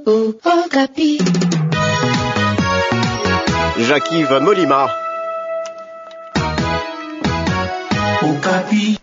Okapi. Jacques-Yves Molima. Okapi.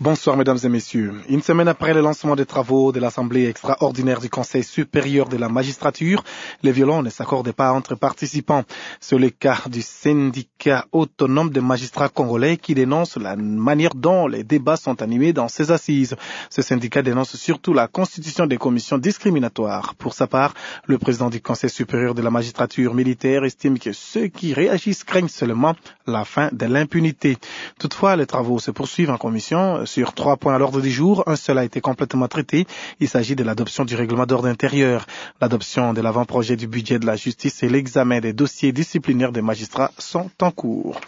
Bonsoir mesdames et messieurs. Une semaine après le lancement des travaux de l'Assemblée extraordinaire du Conseil supérieur de la magistrature, les violons ne s'accordent pas entre participants. C'est le cas du syndicat autonome des magistrats congolais qui dénonce la manière dont les débats sont animés dans ces assises. Ce syndicat dénonce surtout la constitution des commissions discriminatoires. Pour sa part, le président du Conseil supérieur de la magistrature militaire estime que ceux qui réagissent craignent seulement la fin de l'impunité. Toutefois, les travaux se poursuivent en commission. Sur trois points à l'ordre du jour, un seul a été complètement traité. Il s'agit de l'adoption du règlement d'ordre intérieur, l'adoption de l'avant-projet du budget de la justice et l'examen des dossiers disciplinaires des magistrats sont en cours.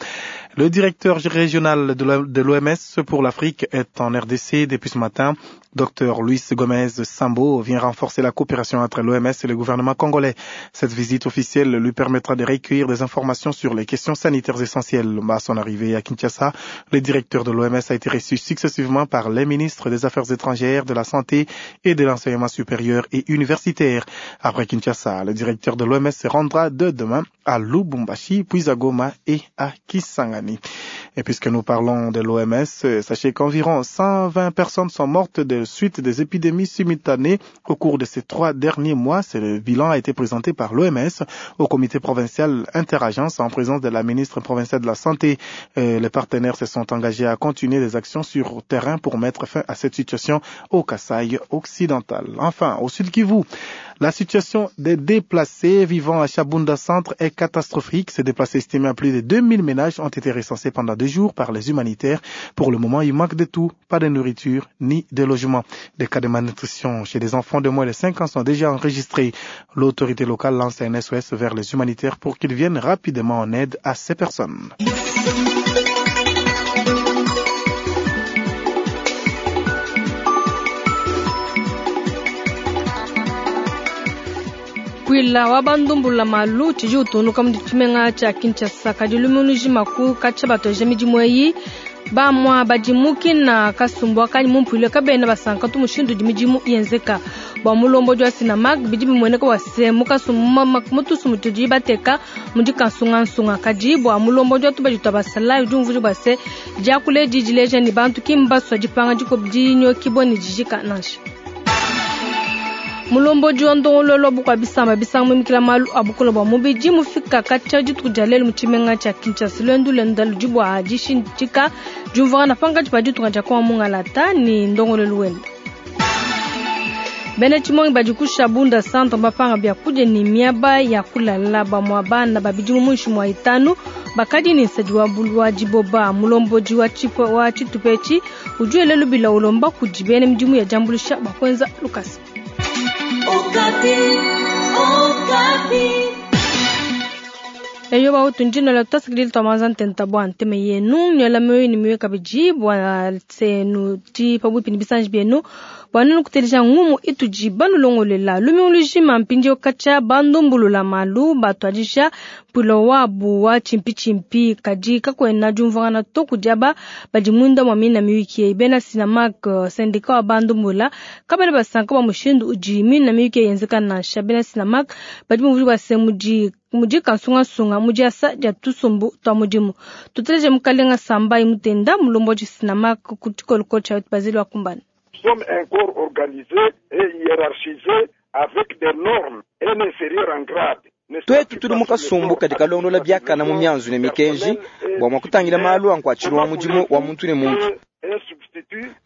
Le directeur régional de l'OMS pour l'Afrique est en RDC depuis ce matin. Dr Luis Gomez Sambo vient renforcer la coopération entre l'OMS et le gouvernement congolais. Cette visite officielle lui permettra de recueillir des informations sur les questions sanitaires essentielles. À son arrivée à Kinshasa, le directeur de l'OMS a été reçu successivement par les ministres des Affaires étrangères, de la Santé et de l'enseignement supérieur et universitaire. Après Kinshasa, le directeur de l'OMS se rendra de demain à Lubumbashi, puis à Goma et à Kisangani. Et puisque nous parlons de l'OMS, sachez qu'environ 120 personnes sont mortes de suite des épidémies simultanées au cours de ces trois derniers mois. Ce bilan a été présenté par l'OMS au comité provincial interagence en présence de la ministre provinciale de la Santé. Les partenaires se sont engagés à continuer des actions sur terrain pour mettre fin à cette situation au Kasaï occidental. Enfin, au Sud Kivu, la situation des déplacés vivant à Shabunda Centre est catastrophique. Ces déplacés estimés à plus de 2000 ménages ont été recensés pendant deux jours par les humanitaires. Pour le moment, il manque de tout, pas de nourriture ni de logement. Des cas de malnutrition chez des enfants de moins de 5 ans sont déjà enregistrés. L'autorité locale lance un SOS vers les humanitaires pour qu'ils viennent rapidement en aide à ces personnes. Mpuila wa bandumbula malu tshidi utunuka mu tshimenga tshia Kinshasa kadi lumingu lujima ku katshia batuadija midimu eyi bamua badi mukina kasumbu akanyi mu mpuila kabena basanka tu mushindu udi midimu yenzeka bua mulombodi wa Sinamag bidi bimueneka bua se mu kasumbu mu tusumu tudi bateka mudi kansungansunga kadi bua mulombodi wa tubadi tua basalayi udi umvuija bua se diakula edi dileja ne bantu ki mbasua dipanga dinyokibua ne dijika nansha. Mulombodi wa ndongoluelu wa bukua bisamba bisanga muimikila malu a bukole bua mubidi mufika katshia dituku dia lelu mu tshimenga tshia Kinshasa. Luendu luenda ludi bua dishindika diumvuangana pankatshi pa ditunga dia Kongo mungalata ne ndongoluelu wenda. Bena tshimongi badi ku Shabunda Centre bapanga biakudia ne miaba ya kulala bamua bana ba bidimu muinshi mua itanu bakadi ne nsadi wa wa diboba. Mulombodi wa wa tshitupa etshi udi wela lubila ulomba kudi bena midimu ya diambuluisha bua kuenza lukasa. Okapi, Okapi. Eyo bautu ndino la tutasikilila twamanza ntenta bua nteme yenu nywela mioyo ni mioyo kabidi bua tsenu ti pabuipi ni bisanji bienu bua nenu kuteleja ngumu itudi banulongolela lumingu lujima mpindieu katshia bandumbulula malu batuadija mpuila wabu wa tshimpitshimpi kadi kakuena diumvuangana to kudi aba badi munda mua mina miyuki eyi. Bena Sinamag syndicat wa bandumbula kabena basanka bua mushindu udi mina miyuki eyi yenzeka nansha. Bena Sinamag badi bumvuija bua se mudi mudi kansungasunga mu diasa dia tusumbu tua mudimu. Tuteleje mukalenga Sambai Mutenda mulombodi Sinamag ku tshikolokolo tshia Basile wa Kumbana. Nous sommes un corps organisé et hiérarchisé avec des normes et un inférieur en grade. Tuetu tuli mu kasumbu kadi kalondola biakana mu mianzu ne mikenji bua mua kutangila malu a nkuatshilu wa mudimu wa muntu ne muntu.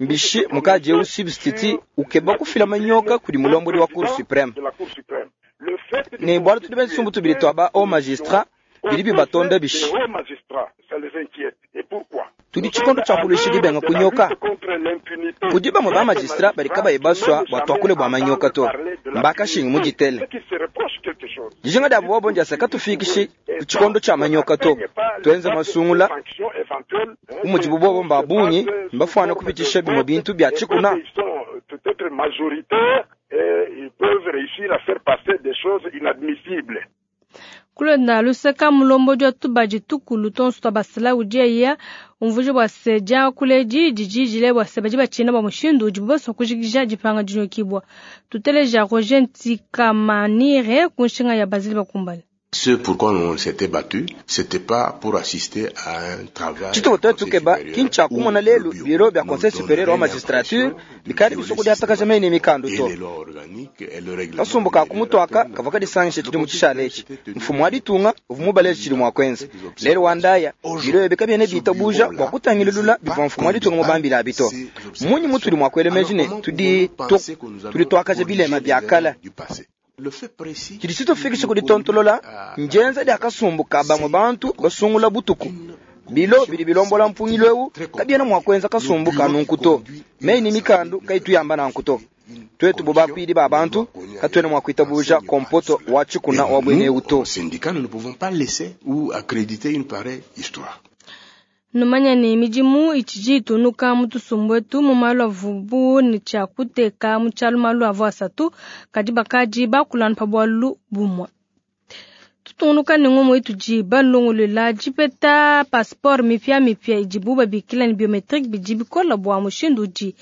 Mbishi mukadi eu substitut ukeba kufila manyoka kudi mulombodi wa Cour supreme. Ne bualu tudi bena tshisumbu tubidi tua ba haut magistrat bidi bibatonda bishi. Tudi tshikondo tshia kuluisha dibenga kunyoka. Kudi bamue ba magistrat badi kabayi basua bua tuakule bua manyoka to, mbakashingi mu ditele. Dijinga dia bobo ndiasa katufikishi ku tshikondo tshia manyoka to, tuenze masungula bu mudibu bobo mba bungi mbafuana kupitshisha bimue bintu bia tshikuna. Peut-être majoritaire et ils peuvent réussir à faire passer des choses inadmissibles. Kulonda luseka mulombodi wa tubadi tukulu tonso twa basalayi udi eya umvuija bua se diakula edi didi dile bua se badi batshina bua mushindu udibu basua kujikija dipanga dinyokibua. Tuteleja Roger Ntikamanire ku nshinga ya Basile Bakumbale. Ce pourquoi on s'était battu, c'était pas pour assister à un travail. Tshitupa tuetu tukeba ki ntshia kumona lelu biro bia Conseil superieur wa magistrature bikadi bisua kudiatakaja meyi ne mikandu to. Kasumbu ka ku mutu aka kavua kadisangishe tshidimu tshishale etshi. Mfumu wa ditunga uvua mubaleje tshidi mua kuenza. Lelu wa ndaya, biro ebi kabiena bitabuja bua kutangilulula bivua mfumu wa ditunga mubambile abi to. Mmunyi mutudi mua kuela meji ne, tudi tudi tuakaja bilema bia kale? Tshidi tshitufikisha ku ditontolola ndienza dia kasumbu ka bamue bantu basungula butuku. Bilo bidi bilombola mpungilu eu kabiena mua kuenza kasumbu ka nunku to. Meyi ne mikandu kayitu yamba nanku to. Tuetu bu bakuidi ba bantu katuena mua kuitabuja kompoto wa tshikuna wa buena eu to. Syndicat, nous ne pouvons pas laisser ou accréditer une pareille histoire. Numanya ne midimu itshidi itunuka mu tusumbu etu mu malu avubu ne tshia kuteka mu tshialu malu avua asatu kadi bakadi bakulanu pa bualu bumue. Tutungunuka ne ngumu itudi balongolola dipeta passeport mipiamipia idibu babikila ne biometrique bidi bikola bua mushindu udi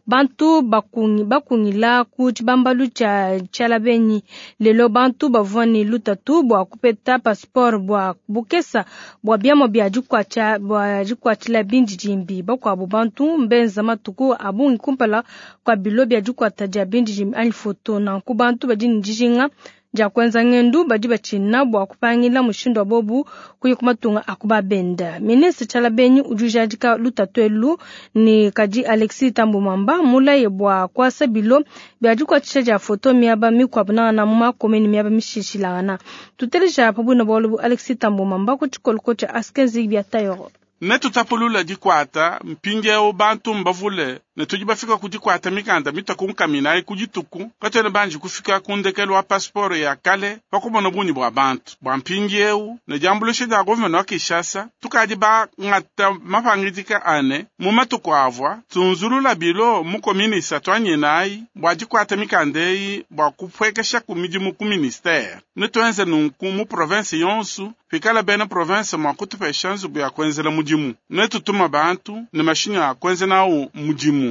bantu bakungi bakungila ku tshibambalu tshia tshialabenyi. Lelo bantu bavua ne lutatu bua kupeta passeport bua bukesa bua biamua bia dikuatshia bua dikuatshila bindidimbi. Bakuabu bantu mbenza matuku a bungi kumpala kua bilo bia dikuata dia bindidimbi anyi foto. Nanku bantu badi ne dijinga dia kuenza ngendu badi batshina bua kupangila mushindu wa bobu kuya ku matunga a ku babenda. Ministre Tshialabenyi udi ujadika lutatu elu ne kadi Alexis Thambwe Mwamba mulaye bua kuasa bilo bia dikuatshisha dia foto miaba mikuabu nangana mu makome ne miaba mishilashilangana. Tuteleja pa buina bualu bu Alexis Thambwe Mwamba ku tshikoloko tshia Askenzi bia Tayoro. Netutapulula dikuata mpindieu bantu mbavule ne tudi bafika ku dikuata mikanda mitua ku nkaminayi ku dituku katuena banji kufika ku ndekelu wa passeport ya kale pa kumona bungi bua bantu bua mpindieu ne diambuluisha dia gouverneur wa Kinshasa tukadi bangata mapangidika ane mu matuku avua tunzulula bilo mu commune isatu anyenayi bua dikuata mikanda eyi bua kupuekesha ku midimu ku ministère. Netuenze nunku mu province yonsu pikala bena province mua kutupesha nzubu ya kuenzela mudimu. Netutuma bantu ne mashinyi a kuenza nawu mudimu.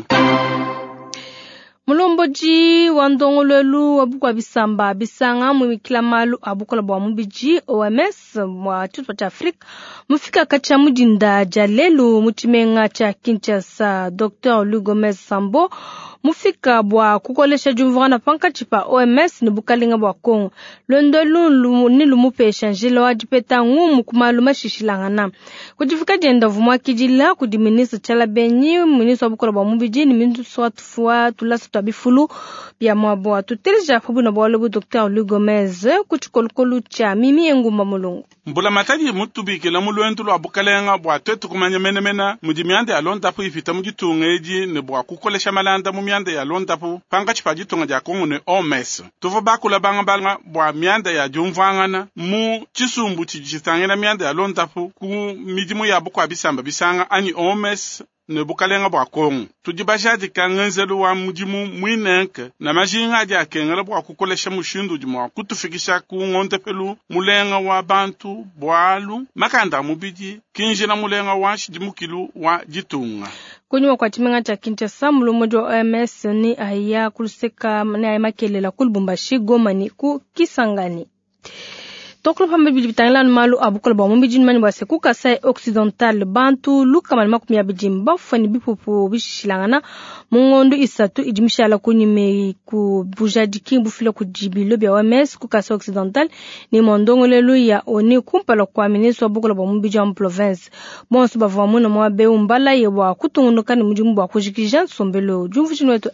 Mulombodi wa ndongoluelu wa bukua bisamba bisanga muimikila malu a bukola bua mubidi OMS wa tshitupa tshia Afrika mufika katshia mu dinda dia lelu mu tshimenga tshia Kinshasa. Dr Louis Gomez Sambo mufika bua kukolesha diumvuangana pankatshi pa OMS ne bukalenga bua Congo. Luendo elu ne lumupesha njila wa dipeta ngumu ku malu mashishilangana. Ku difika dienda uvua muakidila kudi ministre Tshialabenyi, ministre wa bukola bua mubidi ne ministre wa tufua tulasa tua bifulu bia muabo. Tuteleja pa buina bualu bu Dr Louis Gomez ku tshikolokolo tshia Mimi Engumba Mulungu. Mbulamatadi mutubikila mu luendu lua bukalenga bua tuetu kumanya menemene mudi mianda ya londapu ipita mu ditunga edi ne bua kukolesha malanda mu mianda ya londapu pankatshi pa ditunga dia Congo ne OMS. Tuvua bakula bangabanga bua mianda ya diumvuangana mu tshisumbu tshidi tshitangila mianda ya londapu ku midimu ya bukua bisamba bisanga anyi OMS ne bukalenga bua Congo. Tudi bajadika ngenzelu wa mudimu muinenke na majinga adi akengela bua kukolesha mushindu udi mua kutufikisha ku ngondepelu mulenga wa bantu bualu makanda a mubidi kinjila mulenga wa nshidimukilu wa ditunga. Kunyima kua tshimenga tshia Kinshasa, mulombodi wa OMS ni aya kuluseka ne aya makelela ku Lubumbashi, Goma ne ku Kisangani. Tokolo pamba bidi bitangila malu a bukola bua mubidi mani bua se ku Kasai Occidental bantu lukama ne makumi abidi mbafue ne bipupu bishilangana mu ngondo isatu idi mishala kunyima ku bujadiki bufila kudi bilo bia OMS ku Kasai Occidental ne mondongolelu ya ONU kumpala kua ministre wa bukola bua mubidi wa mu province. Bonso bavua muna muaba eu mbalaye bua kutungunuka ne mudimu bua kujikija nsombelu. Diumvuija wetu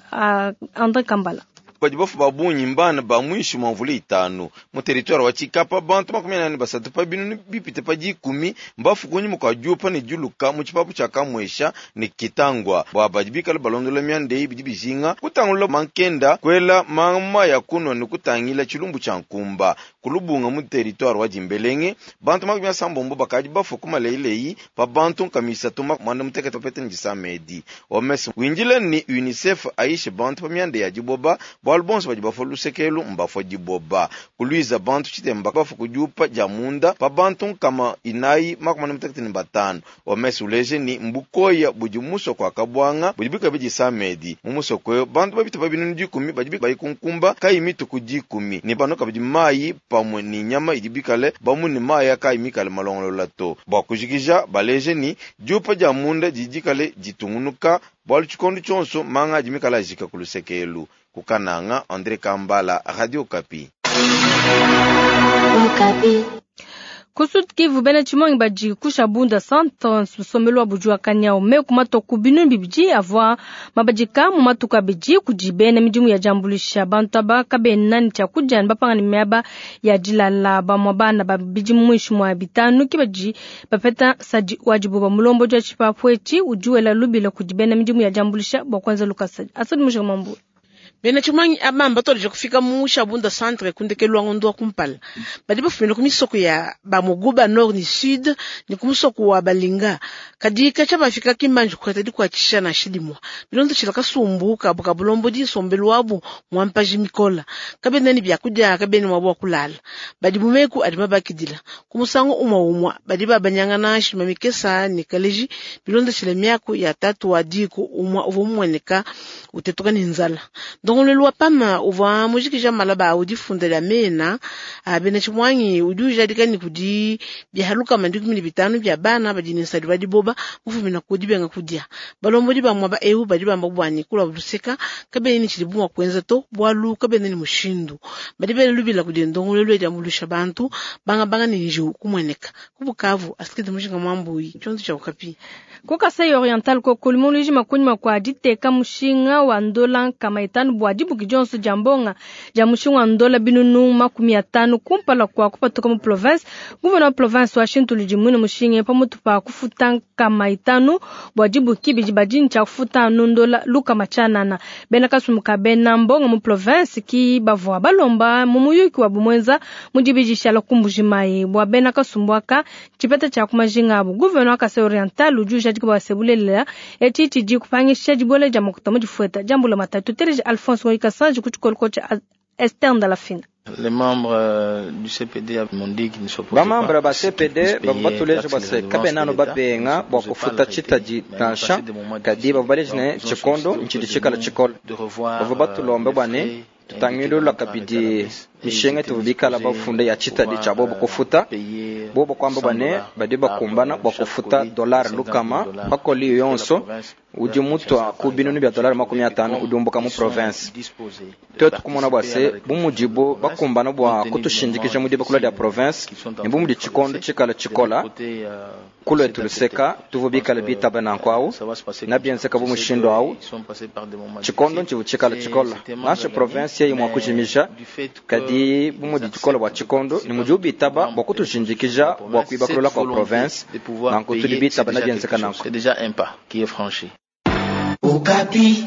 André Kambala. Badi bafu ba bungi mbana ba mwishi mwa mvula itanu mu territoire wa Tshikapa bantu 43 pa binunu bipite pa 10 mbafu kunyima kwa diupa ne diuluka mu tshipapu tshia Kamwesha ne Kitangwa bua badi bikala balondola mianda eyi bidi bijinga kutangulula mankenda kwela mama ya kunwa ne kutangila tshilumbu tshia nkumba kulubunga mu territoire wa Dimbelenge bantu 70 bakadi bafu ku maleileyi pa bantu nkamisatu mwanda mutekete pete ndisamedi OMS windila ni UNICEF aishe bantu pa mianda ya diboba. Bwalu bonso badi bafwa lusekelu mbafwa diboba. Kuluiza bantu tshitemba bafwa kudiupa dia munda pa bantu nkama inayi 45. OMS uleje ni mbukoya budi musoko akabwanga budi bikabidi samedi. Mu musoko yo bantu babita pa binunu 10 badi bayikunkumba kayi mituku 10 ni bano kabidi mayi pamwe ni nyama idi bikale bamu ni mayi akayi mikale malongolola to. Bwa kujikija baleje ni diupa dia munda didikale ditungunuka bwalu tshikondo tshonso manga adi mikale ajika ku lusekelu. Kukananga André Kambala, Radio Okapi. Okapi. Ku Sud Kivu bena tshimongi badi kusha bunda centre nsombelu wa budi wa kanyau meku matoku binunu bibidi avua mabadika mu matuku abidi kudi bena midimu ya diambuluisha bantu aba kabena ne tshiakudia ne bapanga ne miaba ya dilala bamua bana ba bidimu muinshi mua bitanu ke badi bapeta nsadi wa diboba. Mulombodi wa tshipapu etshi udi wela lubila kudi bena midimu ya diambuluisha bua kuenza lukasa. Asadi Mujinga Mambu. Bena tshimanyi aba mbatolesha kufika mu Shabunda centre kundekelu wa ngondo wa kumpala. Badi bafumina ku misoko ya ba Muguba nord ni sud ni ku musoko wa Balinga. Kadi kacha bafika kimbanji kukata dikuatshisha na shidimwa. Bilondo tshila kasumbu kabu kabulombo di sombelu wabu mwampaji mikola. Kabena ni byakudia kabena mwabu wa kulala. Badi mumeku adi mabakidila. Ku musango umwa umwa badi babanyangana shima mikesa ni kaleji. Bilondo tshila miaku ya tatu wa diku umwa uvo mweneka utetuka ni nzala. Ndongolelu wa pama uvua mujikija malaba udi funda lya mena bena tshimwangi udi ujadika ni kudi bihaluka mandikumi ne bitanu bya bana badi ne nsadi badi boba mufumina kudi benga kudia. Balombodi ba mwaba eu badi bamba bwani kula luseka kabene ni tshidi bumwa kuenza to bwalu kabene ni mushindu. Badi bele lubila kudi ndongolelu ya mulusha bantu banga banga ni nju kumweneka. Kubukavu asikete mujinga mwambui chonzo cha Okapi. Ku Kasai Oriental ko kulimuluji makunyima kwa diteka mushinga wa ndola kama itanu bwa dibuki dionso dia mbonga dia mushinga wa ndola binunu 50 kumpala kwa kupatuka mu province. Gouverneur wa province wa Shintulu dimwine mushinga pamutu pa kufuta kama itanu bwa dibuki bidi badini tshia kufuta anu ndola luka machanana. Bena kasumuka bena mbonga mu province ki bavua balomba mu muyuki wa bumwenza mu dibidisha la kumbujimayi bwa bena kasumbuaka tshipeta tshia kumajinga abu. Gouverneur wa Kasai Oriental udi ujadika bwa sebulelela etshi tshidi kupangisha dibole dia makuta mu difueta diambula matatu. Teleje Alphonse Ngoyi Kasanji ku tshikolo tshia Esther Ndalafina. Les membres du CPD m'ont dit qu'ils ne s'opposaient pas. Ba membre ba CPD bavua batuleje bua se kabena anu babenga bua kufuta tshitadi nansha kadi bavua baleje ne tshikondo ntshidi tshikala tshikole. Bavua batulombe bua ne tutangilula kabidi mishinga ituvua bikala bafunde ya tshitadi tshia bobo kufuta. Bobo kuamba bua ne badi bakumbana bua kufuta dollar lukama pakoli yonso udi mutua ku binunu bia dollar 50 udi umbuka mu province. Twetu kumona bua se bu mudibo bakumbana bua kutushindikija mu dibakula dia province ne bu mudi tshikondo tshikala tshikola kulwetu luseka tuvua bikala bitaba nanku awu na bienzeka bu mushindu awu tshikondo ntshivu tshikala tshikola nansha province yeyi mua kujimija kadi bu mudi tshikola bua tshikondo ne mudi ubitaba bua kutushindikija bua kuibakulula kwa province nanku tudi bitaba na bienzeka nanku. C'est déjà un pas qui est franchi. Okapi.